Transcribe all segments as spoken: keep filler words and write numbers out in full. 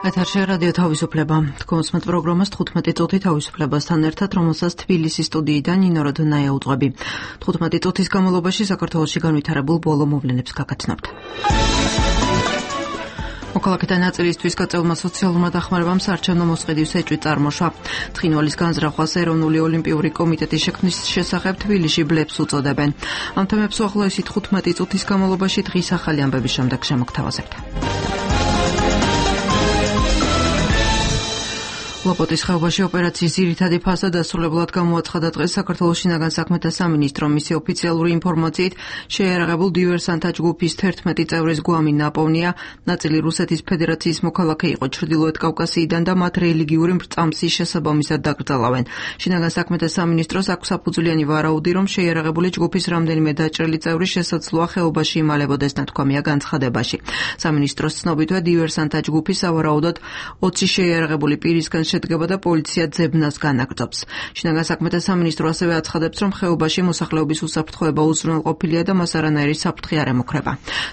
ეთერში რადიო თავისუფლება. თქვენს პროგრამას თხუთმეტი წუთი თავისუფლებასთან ერთად, რომელსაც თბილისის სტუდიიდან ნინო როდონაია უძღვები. თხუთმეტი წუთის განმავლობაში საქართველოში განვითარებულ ბოლო მოვლენებს გაგაცნობთ. მოქალაქეთა ნაწილისთვის გაწეულმა სოციალურმა დახმარებამ საარჩევნო მოსყიდვის ეჭვი წარმოშვა. თხინვალის განზრახვას ეროვნული ოლიმპიური კომიტეტის შექმნის შესახებ თბილისში ბლებს უწოდებენ. ამ თემებს უახლოესი თხუთმეტი წუთის განმავლობაში დღის ახალი ამბების შემდეგ შემოგთავაზებთ. ლოპოტის ხეობაში ოპერაციის ძირითადი ფაზა დასრულებულად გამოაცხადა დღეს საქართველოს შინაგან საქმეთა სამინისტრომ. მისი ოფიციალური ინფორმაციით შეიარაღებულ დივერსანტთა ჯგუფის თერთმეტი წევრის გვამი ნაპოვნია. ნაწილი რუსეთის ფედერაციის მოქალაქე იყო ჩრდილოეთ კავკასიიდან და მათ რელიგიური მრწამსის შესაბამისად დაკრძალავენ. შინაგან საქმეთა სამინისტროს აქვს საფუძვლიანი ვარაუდი, რომ შეიარაღებული ჯგუფის რამდენიმე დაჭრილი წევრი შესაძლოა ხეობაში იმალებოდეს, ნათქვამია განცხადებაში. სამინისტროს ცნობითვე დივერსანტთა ჯგუფი სავარაუდოდ ოცი შეიარაღებული პირისგან შედგება და პოლიცია ძებნას განაგრძობს. შინაგან საქმეთა სამინისტრო ასევე აცხადებს, რომ ხეობაში მოსახლეობის უსაფრთხოება უზრუნველყოფილია და მას არანაირი საფრთხე არ ემუქრება.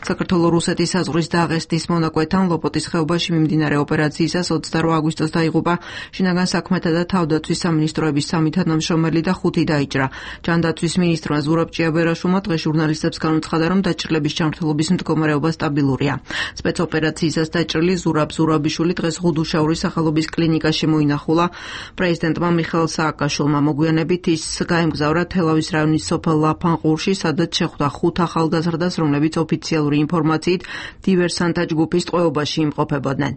საქართველო-რუსეთის საზღვრის დაღესტნის მონაკვეთთან ლოპოტის ხეობაში მიმდინარე ოპერაციისას ოცდაორი აგვისტოს დაიღუპა შინაგან საქმეთა და თავდაცვის სამინისტროების სამი თანამშრომელი და ხუთი დაიჭრა. ჯანდაცვის მინისტრმა ზურაბ ჭიაბერაშვილმა დღეს ჟურნალისტებს განუცხადა, რომ დაჭრილების ჯანმრთელობის მდგომარეობა სტაბილურია. სპეცოპერაციისას დაჭრილი ზურაბ ზურაბიშვილი დღეს ღუდუშაურის სახელობის კლინიკაში მოინახულა. პრეზიდენტმა მიხეილ სააკაშვილმა მოგვიანებით ის გაემგზავრა თელავის რაიონის სოფელ ლაფანყურში, სადაც შეხვდა ხუთ ახალგაზრდას, რომლებიც ოფიციალური ინფორმაციით დივერსანტთა ჯგუფის ტყვეობაში იმყოფებოდნენ.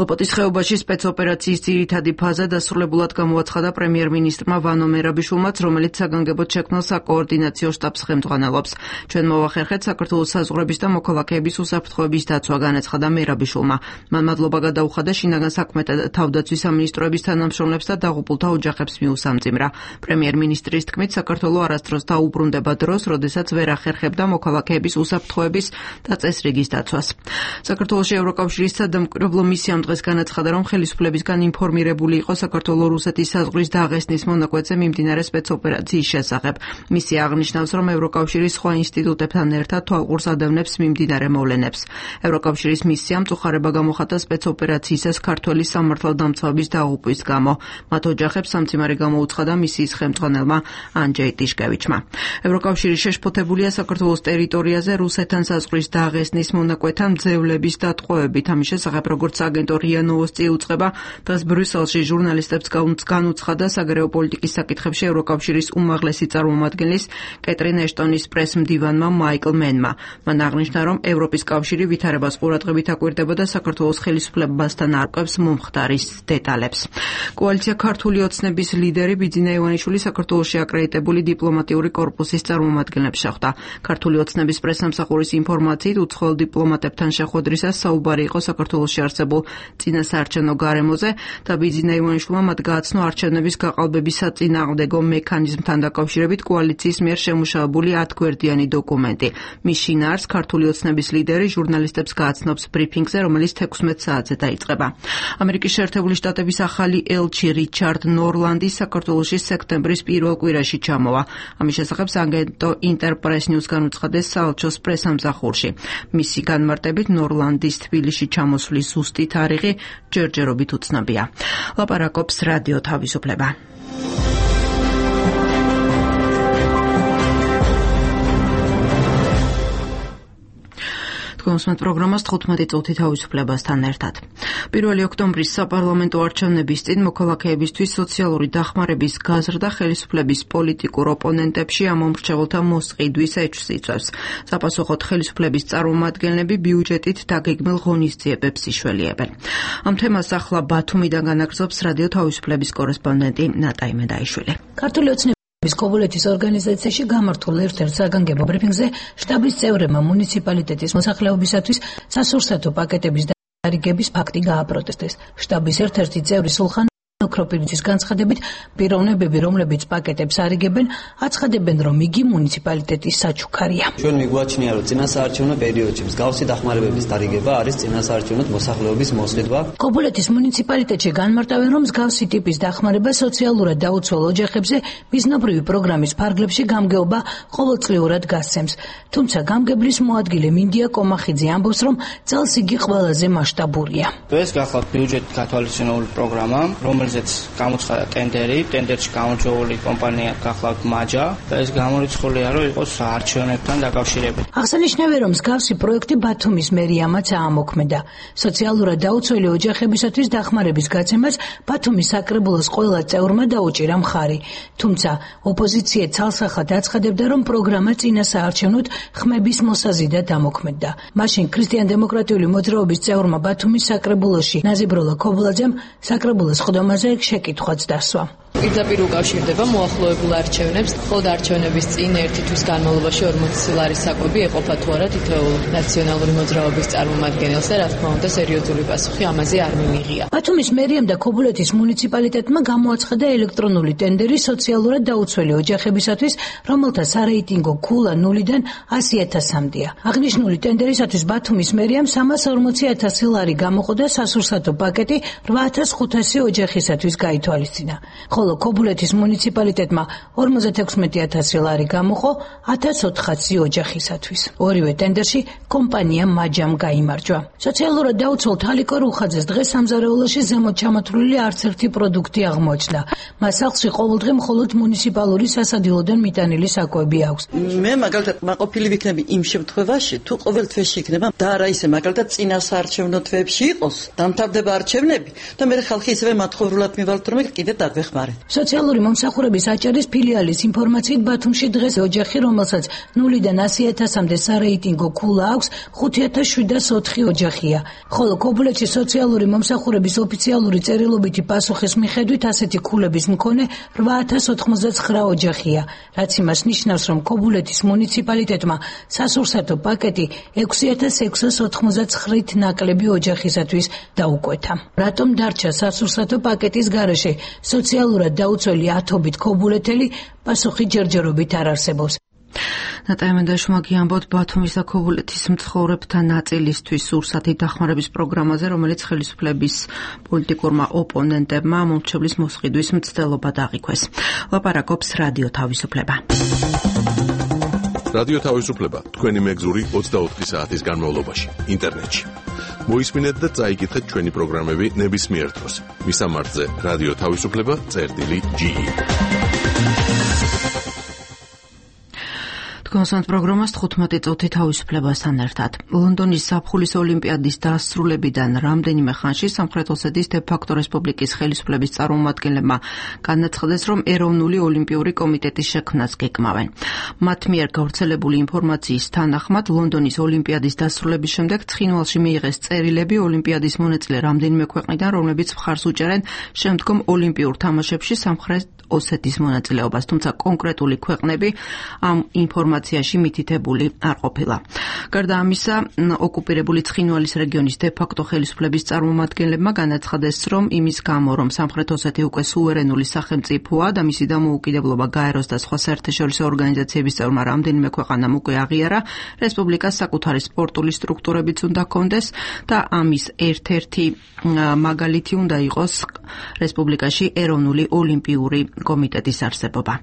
ლოპოტის ხეობაში სპეცოპერაციის ძირითადი ფაზა დასრულებულად გამოაცხადა პრემიერ-მინისტრმა ვანო მერაბიშვილმაც, რომელიც საგანგებოდ შექმნილ საკოორდინაციო შტაბს ხელმძღვანელობს. ჩვენ მოვახერხეთ საქართველოს საზღვრების და მოქალაქეების უსაფრთხოების დაცვა, განაცხადა მერაბიშვილმა. მან მადლობა გადაუხადა შინაგან საქმეთა და თავდაცვის სამინისტროების თანამშრომლებს და დაღუპულთა ოჯახებს მიუსამძიმრა. პრემიერ-მინისტრის თქმით, საქართველო არასდროს დაუბრუნდება დროს, როდესაც ვერ ახერხებდა მოქალაქეების უსაფრთხოების და წესრიგის დაცვას. საქართველოში ევროკავშირის სადამკვირვებლო მისიამ დღეს განაცხადა, რომ ხელისუფლებისგან ინფორმირებული იყო საქართველო-რუსეთის საზღვრის დაღესტნის მონაკვეთზე მიმდინარე სპეცოპერაციის შესახებ. მისია აღნიშნავს, რომ ევროკავშირის სხვა ინსტიტუტებთან ერთად თვალყურს ადევნებს მიმდინარე მოვლენებს. ევროკავშირის მისიამ წუხარება გამოხატა სპეცოპერაციისას ქართველი სამართალდამცავების დაღუპვის გამო. მათ ოჯახებს სამძიმარი გამოუცხადა მისიის ხელმძღვანელმა ანჯეი ტიშკევიჩმა. ევროკავშირი შეშფოთებულია საქართველოს ტერიტორიაზე რუსეთთან საზღვრის დაღესტნის მონაკვეთთან მძევლების დატყვევებით. ამის შესახებ, როგორც აგენტო რია ნოვოსტი უწყება, დღეს ბრიუსელში ჟურნალისტებს განუცხადა საგარეო პოლიტიკის საკითხებში ევროკავშირის უმაღლესი წარმომადგენლის კეტრინ ეშტონის პრესმდივანმა მაიკლ მენმა. მან აღნიშნა, რომ ევროპის კავშირი ვითარებას ყურადღებით აკვირდებოდა საქართველოს ხელისუფლებასთან არკვევს მომხდარის დეტალებს. კოალიცია ქართული ოცნების ლიდერი ბიძინა ივანიშვილი საქართველოში აკრედიტებული დიპლომატიური კორპუსის წარმომადგენლებს შეხვდა. ქართული ოცნების პრესსამსახურის ინფორმაციით, უცხოელ დიპლომატებთან შეხვედრისას საუბარი იყო საქართველოში არსებულ წინასაარჩევნო გარემოზე და ბიძინა ივანიშვილმა მათ გააცნო არჩევნების გაყალბების საწინააღმდეგო მექანიზმთან დაკავშირებით კოალიციის მიერ შემუშავებული ათგვერდიანი დოკუმენტი. მის შინაარსს ქართული ოცნების ლიდერი ჟურნალისტებს გააცნობს ბრიფინგზე, რომელიც თექვსმეტ საათზე დაიწყება. ამერიკის შეერთებული შტატების ახალი ელჩი რიჩარდ ნორლანდი საქართველოში სექტემბრის პირველ კვირაში ჩამოვა. ამის შესახებ აგენტო ინტერპრეს ნიუს განუცხადეს საელჩოს პრესამსახურში. მისი განმარტებით ნორლანდის თბილისში ჩამოსვლის ზუსტი თარიღი ჯერჯერობით უცნობია. ლაპარაკობს რადიო თავისუფლება. თქვენს პროგრამას თხუთმეტი წუთი თავისუფლებასთან ერთად. პირველი ოქტომბრის საპარლამენტო არჩევნების წინ მოქალაქეებისთვის სოციალური დახმარების გაზრდა ხელისუფლების პოლიტიკურ ოპონენტებში ამომრჩეველთა მოსყიდვის ეჭვს იწვევს. საპასუხოდ ხელისუფლების წარმომადგენლები ბიუჯეტით დაგეგმილ ღონისძიებებს იშველიებენ. ამ თემას ახლა ბათუმიდან განაგრძობს რადიო თავისუფლების კორესპონდენტი ნატა იმედაიშვილი. ქართული ოცნების კობულეთის ორგანიზაციაში გამართულ ერთ-ერთ საგანგებო ბრიფინგზე შტაბის წევრებმა მუნიციპალიტეტის მოსახლეობისათვის სასურსათო პაკეტების დარიგების ფაქტი გააპროტესტეს. შტაბის ერთ-ერთი წევრი სულხან ოქროპირიძის განცხადებით, პიროვნებები, რომლებიც პაკეტებს არიგებენ, აცხადებენ, რომ იგი მუნიციპალიტეტის საჩუქარია. ჩვენ მიგვაჩნია, რომ წინასაარჩევნო პერიოდში მსგავსი დახმარებების დარიგება არის წინასაარჩევნო მოსახლეობის მოსყიდვა. კობულეთის მუნიციპალიტეტში განმარტავენ, რომ მსგავსი ტიპის დახმარება სოციალურად დაუცველ ოჯახებზე მიზნობრივი პროგრამის ფარგლებში გამგეობა ყოველწლიურად გასცემს. თუმცა გამგებლის მოადგილე მინდია კომახიძე ამბობს, რომ წელს იგი ყველაზე მასშტაბურია. ეს გახლავთ ბიუჯეტით გათვალისწინებული პროგრამა, რომელზეც გამოცხადა ტენდერი, ტენდერში გამარჯვებული კომპანია გახლავთ მაჯა და ეს გამორიცხულია, რომ იყოს არჩევნებთან დაკავშირებით. აღსანიშნავია, რომ მსგავსი პროექტი ბათუმის მერიამაც აამოქმედა. სოციალურად დაუცველი ოჯახებისათვის დახმარების გაცემას ბათუმის საკრებულოს ყველა წევრმა დაუჭირა მხარი. თუმცა ოპოზიცია ცალსახად აცხადებდა, რომ პროგრამა წინასაარჩევნოდ ხმების მოსაზიდად ამოქმედდა. მაშინ ქრისტიან-დემოკრატიული მოძრაობის წევრმა ბათუმის საკრებულოში ნაზიბროლა ქობულაძემ საკრებულოს ხდომაზე შეკითხვაც დასვა. პირდაპირ უკავშირდება მოახლოებულ არჩევნებს, ხოლო არჩევნების წინ ერთი თვის განმავლობაში ორმოცი ლარის საკვები ეყოფა თუ არა თითოეულ ნაციონალური მოძრაობის წარმომადგენელს და რა თქმა უნდა სერიოზული პასუხი ამაზე არ მიმიღია. ბათუმის მერიამ და ქობულეთის მუნიციპალიტეტმა გამოაცხადა ელექტრონული ტენდერი სოციალურად დაუცველი ოჯახებისათვის, რომელთა სარეიტინგო ქულა ნულიდან ასი ათასამდეა. აღნიშნული ტენდერისათვის ბათუმის მერიამ სამას ორმოცი ათასი ლარი გამოყო და სასურსათო პაკეტი რვა ათას ხუთასი ოჯახისათვის გაითვალისწინა. ხოლო ქობულეთის მუნიციპალიტეტმა ორმოცდაექვსმეტი ათასი ლარი გამოყო ათას ოთხასი ოჯახისათვის. ორივე ტენდერში კომპანია მაჯამ გაიმარჯვა. სოციალურად დაუცველ თალიკო რუხაძეს დღეს სამზარეულოში ზემოთ ჩამოთვლილი არც ერთი პროდუქტი აღმოჩნდა. მას სახლში ყოველდღე მხოლოდ მუნიციპალური სასადილოდან მიტანილი საკვები აქვს. მე მაგალითად მაყოფილი ვიქნები იმ შემთხვევაში, თუ ყოველ თვეში იქნება და არა ისე მაგალითად წინასაარჩევნო თვეებში იყოს, დამთავრდება არჩევნები და მე ხალხი ისევე მათხოვრულად მივალთ, რომ კიდე დაგვეხმარეთ. სოციალური მომსახურების აჭარის ფილიალის ინფორმაციით ბათუმში დღეს ოჯახი, რომელსაც ნულიდან ასი ათასამდე სარეიტინგო ქულა აქვს, ხუთი ათას შვიდას ოთხი ოჯახია. ხოლო ქობულეთში სოციალური მომსახურების ოფიციალური წერილობითი პასუხის მიხედვით ასეთი ქულების მქონე რვა ათას ოთხმოცდაცხრა ოჯახია, რაც იმას ნიშნავს, რომ ქობულეთის მუნიციპალიტეტმა სასურსათო პაკეტი ექვსი ათას ექვსას ოთხმოცდაცხრით ნაკლები ოჯახისათვის დაუკვეთა. რატომ დარჩა სასურსათო პაკეტის გარეშე სოციალურად დაუცველი ათობით ქობულეთელი, პასუხი ჯერჯერობით არ არსებობს. ნატალია მენდაშვილმა გიამბოთ ბათუმის და ქობულეთის მცხოვრებთა ნაწილისთვის სურსათი დახმარების პროგრამაზე, რომელიც ხელისუფლების პოლიტიკურმა ოპონენტებმა მომრჩევლის მოსყიდვის მცდელობა დააყენეს. ლაპარაკობს რადიო თავისუფლება. რადიო თავისუფლება თქვენი მეგზური ოცდაოთხი საათის განმავლობაში ინტერნეტში. მოისმინეთ და წაიკითხეთ ჩვენი პროგრამები ნებისმიერ დროს. მისამართზე რადიო თავისუფლება წერტილი ჯი ი. კონსანტ პროგრამას თხუთმეტი წუთი თავისუფლებასთან ერთად. ლონდონის ზაფხულის ოლიმპიადის დასრულებიდან რამდენიმე ხანში სამხრეთ ოსეთის დე-ფაქტო რესპუბლიკის ხელისუფლების წარმომადგენლებმა განაცხადეს, რომ ეროვნული ოლიმპიური კომიტეტის შექმნას გეკმავენ. მათ მიერ გავრცელებული ინფორმაციის თანახმად, ლონდონის ოლიმპიადის დასრულების შემდეგ ცხინვალში მიიღეს წერილები ოლიმპიადის მონაწილე რამდენიმე ქვეყნიდან, რომლებიც მხარს უჭერენ შემდგომ ოლიმპიურ თამაშებში სამხრეთ ოსეთის მონაწილეობას, თუმცა კონკრეტული ქვეყნები ამ ინფორმაციაში მითითებული არ ყოფილა. გარდა ამისა, ოკუპირებული ცხინვალის რეგიონის დე-ფაქტო ხელისუფლების წარმომადგენლებმა განაცხადეს, რომ იმის გამო, რომ სამხრეთ ოსეთი უკვე სუვერენული სახელმწიფოა და მისი დამოუკიდებლობა გაეროს და სხვა საერთაშორისო ორგანიზაციების წევრმა რამდენიმე ქვეყანამ უკვე აღიარა, რესპუბლიკას საკუთარი სპორტული სტრუქტურებიც უნდა ჰქონდეს და ამის ერთ-ერთი მაგალითი უნდა იყოს რესპუბლიკაში ეროვნული ოლიმპიური კომიტეტის არსებობა.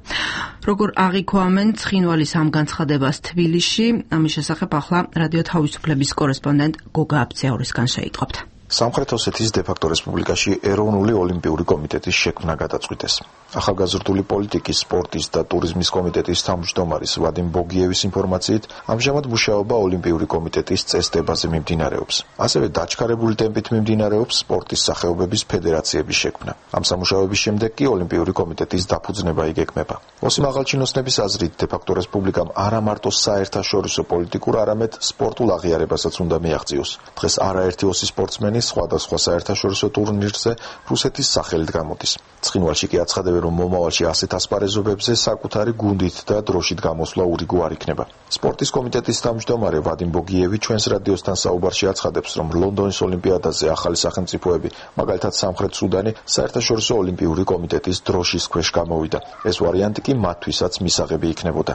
როგორ აღიქვამენ ცხინვალის ამ განცხადებას თბილისში, ამის შესახებ ახლა რადიო თავისუფლების კორესპონდენტ გოგა აბციაურისგან შეიტყობთ. სამხრეთ ოსეთის დე-ფაქტო რესპუბლიკაში ეროვნული ოლიმპიური კომიტეტის შექმნა გადაწყვიტეს. ახალგაზრდული პოლიტიკის, სპორტის და ტურიზმის კომიტეტის თავმჯდომარის ვადიმ ბოგიევის ინფორმაციით, ამჟამად მუშაობა ოლიმპიური კომიტეტის წესდებაზე მიმდინარეობს. ასევე დაჩქარებული ტემპით მიმდინარეობს სპორტის სახეობების ფედერაციების შექმნა. ამ სამუშაოების შემდეგ კი ოლიმპიური კომიტეტის დაფუძნება იგეგმება. ოსიმ აღალჩინოსნების აზრით, დე-ფაქტო რესპუბლიკამ არა მარტო საერთაშორისო პოლიტიკურ, არამედ სპორტულ აღიარებასაც უნდა მიაღწიოს. დღეს არაერთი ოსი სპორტსმენი სპორტსმენი სხვადასხვა საერთაშორისო ტურნირზე რუსეთის სახელით გამოდის. ცხინვალში კი აცხადებენ, რომ მომავალში ასეთ ასპარეზობებზე საკუთარი გუნდით და დროშით გამოსვლა ურიგო არ იქნება. სპორტის კომიტეტის თავმჯდომარე ვადიმ ბოგიევი ჩვენს რადიოსთან საუბარში აცხადებს, რომ ლონდონის ოლიმპიადაზე ახალი სახელმწიფოები, მაგალითად სამხრეთ სუდანი, საერთაშორისო ოლიმპიური კომიტეტის დროშის ქვეშ გამოვიდა. ეს ვარიანტი კი მათთვისაც მისაღები იქნებოდა.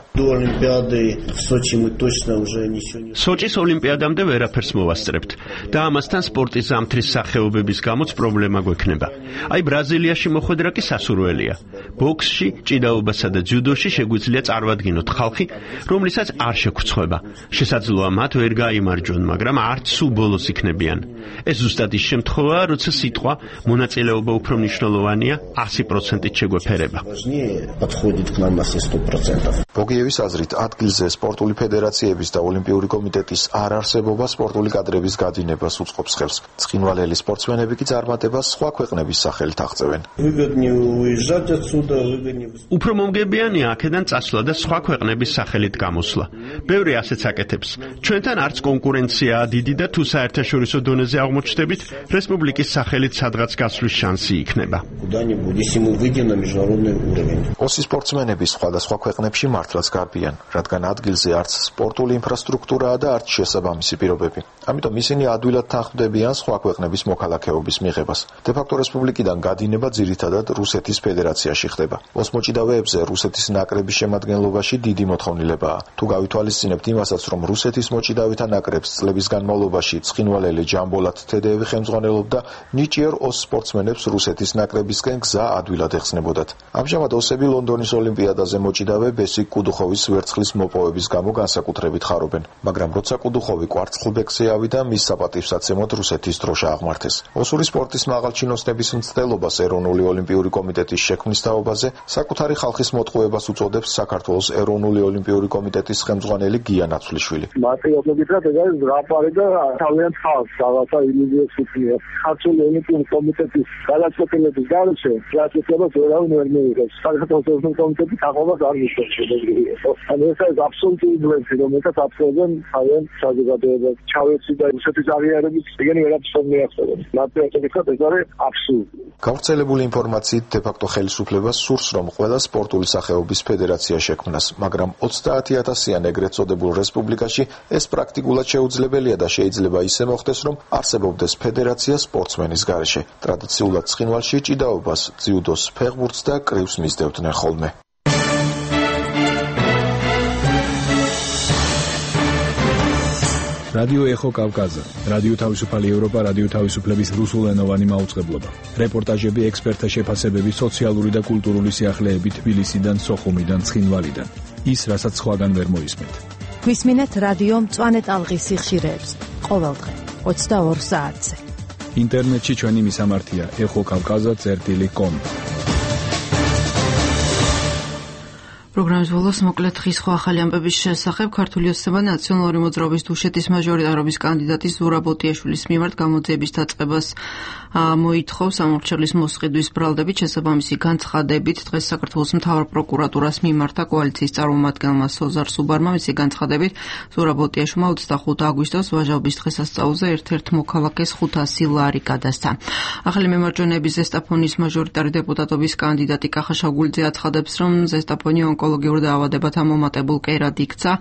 სოჭის ოლიმპიადამდე ვერაფერს მოვასწრებთ და ამასთან სპორტის ზამთრის სახეობების გამოც პრობლემა გვექნება. აი ბრაზილიაში მოხვედრა კი სასურველია. ბოქსში, ჭიდაობასა და ძიუდოში შეგვიძლია წარმოვადგინოთ ხალხი, რომლითაც არ შეგვწყვება. შესაძლოა მათ ვერ გაიმარჯვონ, მაგრამ არც სულ ბოლოს იქნებიან. ეს ზუსტად ის შემთხვევაა, როცა სიტყვა მონაწილეობა უფრო მნიშვნელოვანია, ასი პროცენტით შეგვეფერება. ბოგიევის აზრით, ადგილზე სპორტული ფედერაციების და ოლიმპიური კომიტეტის არ არსებობა სპორტული კადრების გადინებას უწყობს ხელს. ცხინვალელი სპორტსმენები კი წარმატებას სხვა ქვეყნების სახელით აღწევენ. უფრო მომგებიანია აქედან წასვლა და სხვა ქვეყნების სახელით გამოსვლა. ბევრი ასეც აკეთებს. ჩვენთან არც კონკურენციაა დიდი და თუ საერთაშორისო დონეზე აღმოჩნდებით, რესპუბლიკის სახელით სადღაც გასვლის შანსი იქნება. ოსი სპორტსმენები სხვადასხვა ქვეყნებში მართლაც გარბიან, რადგან ადგილზე არც სპორტული ინფრასტრუქტურაა და არც შესაბამისი პირობები. ამიტომ ისინი ადვილად თანხმდებიან სხვა ქვეყნების მოქალაქეობის მიღებას. დე-ფაქტო რესპუბლიკიდან გადინება ძირითადად რუსეთის ფედერაციაში ხდება. ოს მოჭიდავეებზე რუსეთის ნაკრების შემადგენლობაში დიდი მოთხოვნილებაა. თუ გავითვალისწინებთ იმასაც, რომ რუსეთის მოჭიდავეთა ნაკრებს წლების განმავლობაში ცხინვალელი ჯამბოლად თედეევი ხელმძღვანელობდა, ნიჭიერ ოს სპორტსმენებს რუსეთის ნაკრებისკენ გზა ადვილად ეხსნებოდათ. ამჟამად ოსები ლონდონის ოლიმპიადაზე მოჭიდავე ბესიკ კუდუხოვის ვერცხლის მოპოვების გამო განსაკუთრებით ხარობენ, მაგრამ როცა კუდუხოვი კვარცხლბეკზე ავიდა, მის საპატივსაცემოდ რუსეთის დროშა აღმართეს. ოსური სპორტის მაღალჩინოსნების მცდელობას ეროვნული ოლიმპიური კომიტეტის შექმნის თაობაზე საკუთარი ხალხის მოტყუებას უწოდებს საქართველოს ეროვნული ოლიმპიური კომიტეტის ხელმძღვანელი გია ნაცვლიშვილი. მარტივადობით ეს არის რაპარი და თავიანთ ხალხს რაღაცა ილუზიებს უწევს. ქართული ოლიმპიური კომიტეტის გადაწყვეტილების გარეშე რასაკვირველად ვერავინ ვერ მიიღებს. საქართველოს ოლიმპიური კომიტეტის აყვებას არ მისცემს. ანუ ეს არის აბსოლუტური ბლეფი, რომელსაც აფსოვენ თავიანთ საზოგადოებას. ჩავეცი და რუსეთის აღიარების ეგენი ვერაფერს ვერ მიაღწევენ. მარტივადობით ეს არის აბსურდი. გავრცელებული ინფორმაციით დე-ფაქტო ხელისუფლებას სურს, რომ ყველა სპორტული სახეობის ფედერაცია შექმნას, მაგრამ ოცდაათი ათასიან ეგრეთ წოდებულ რესპუბლიკაში ეს პრაქტიკულად შეუძლებელია და შეიძლება ისე მოხდეს, რომ არსებობდეს ფედერაცია სპორტსმენის გარეშე. ტრადიციულად ცხინვალში ჭიდაობას, ძიუდოს, ფეხბურთს და კრივს მისდევდნენ ხოლმე. რადიო ეხო კავკაზა, რადიო თავისუფალი ევროპა, რადიო თავისუფლების რუსულენოვანი მაუწყებლობა. რეპორტაჟები, ექსპერტთა შეფასებები, სოციალური და კულტურული სიახლეები თბილისიდან, სოხუმიდან, ცხინვალიდან. ის, რასაც სხვაგან ვერ მოისმენთ. გვისმინეთ რადიო მწვანე ტალღის სიხშირეებს ყოველდღე ოცდაორ საათზე. ინტერნეტში ჩვენი მისამართია ეხო კავკაზა წერტილი კომ. პროგრამის ბოლოს მოკლედ ხის სხვა ახალი ამბების შესახებ ქართული ოცნება ნაციონალური მოძრაობის დუშეთის მაჟორიტარობის კანდიდატის ზურაბ ოტიაშვილის მიმართ გამოძიების დაწყებას მოითხოვს. ამორჩევლის მოსყიდვის ბრალდებით შესაბამისი განცხადებით დღეს საქართველოს მთავარ პროკურატურას მიმართა კოალიციის წარმომადგენელმა სოზარ სუბარმა. მისი განცხადებით ზურაბ ოტიაშვილმა ოცდახუთი აგვისტოს ვაჟაობის დღესასწაულზე ერთ-ერთ მოქალაქეს ხუთასი ლარი გადასცა. ახალი მემარჯვენეების ზესტაფონის მაჟორიტარი დეპუტატობის კანდიდატი კახა შაგულიძე აცხადებს, რომ ზესტაფონი ეკოლოგიურ დაავადებათა მომატებულ კერად იქცა.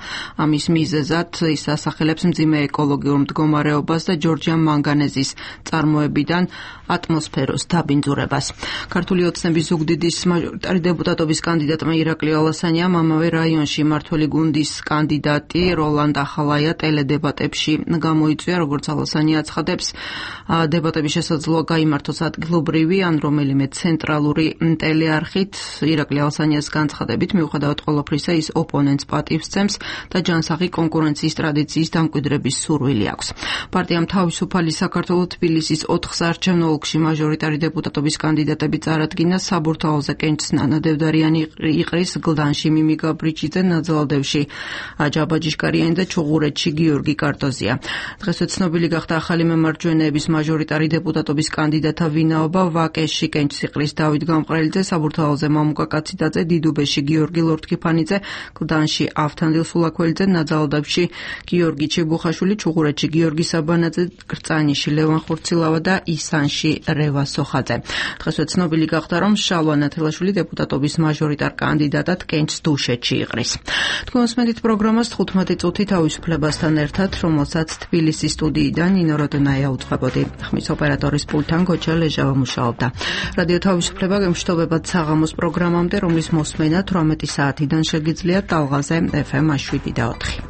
ამის მიზეზად ის ასახელებს მძიმე ეკოლოგიურ მდგომარეობას და ჯორჯია მანგანეზის წარმოებიდან ატმოსფეროს დაბინძურებას. ქართული ოცნების ზუგდიდის მაჟორიტარი დეპუტატობის კანდიდატმა ირაკლი ალასანიამ ამავე რაიონში მმართველი გუნდის კანდიდატი როლანდ ახალაია ტელედებატებში გამოიწვია. როგორც ალასანია აცხადებს, დებატები შესაძლოა გაიმართოს ადგილობრივი ან რომელიმე ცენტრალური ტელეარხით. ირაკლი ალასანიას განცხადებით, მიუხედავად ყოველფრისა, ის ოპონენტს პატივს სცემს და ჯანსაღი კონკურენციის ტრადიციის დამკვიდრების სურვილი აქვს. პარტიამ თავისუფალი საქართველო თბილისის ოთხ საარჩევნო ოლქში მაჟორიტარი დეპუტატობის კანდიდატები წარადგინა. საბურთაოზე კენჭს ნანა დევდარიანი იყრის, გლდანში მიმი გაბრიჩიძე, ნაძალადევში աջაბა ჯიშკარიანი და ჩუღურეთში გიორგი კარტოზია. დღესვე ცნობილი გახდა ახალი მემარჯვენეების მაჟორიტარი დეპუტატობის კანდიდატთა ვინაობა. ვაკეში კენჭს იყრის დავით გამყრელიძე, საბურთაოზე მამუკა კაციდაძე, დიდუბეში გიორგი ლორდ კიფანიძე, კლდანში ავთანდილ სულაქველიძე, ნაძალადაბში გიორგი ჩიბუხაშვილი, ჩუღურეთში გიორგი საბანაძე, კრწანიში ლევან ხურცილავა და ისანში რევა სოხაძე. დღესვე ცნობილი გახდა, რომ შალვა ნათელაშვილი დეპუტატობის მაჟორიტარ კანდიდატად კენჭს დუშეთში იყრის. თქვენ მოსმენთ პროგრამას თხუთმეტი წუთი თავისუფლებასთან ერთად, რომელსაც თბილისის სტუდიიდან ნინო როდონაია უძღვებოდი. ხმის ოპერატორის პულტთან გოჩა ლეჟავა მუშაობდა. რადიო თავისუფლება გემშვიდობებად საღამოს პროგრამამდე, რომლის მოსმენა თვრამეტი საათიდან შეგიძლიათ ტალღაზე ეფ ემ შვიდი და ოთხი.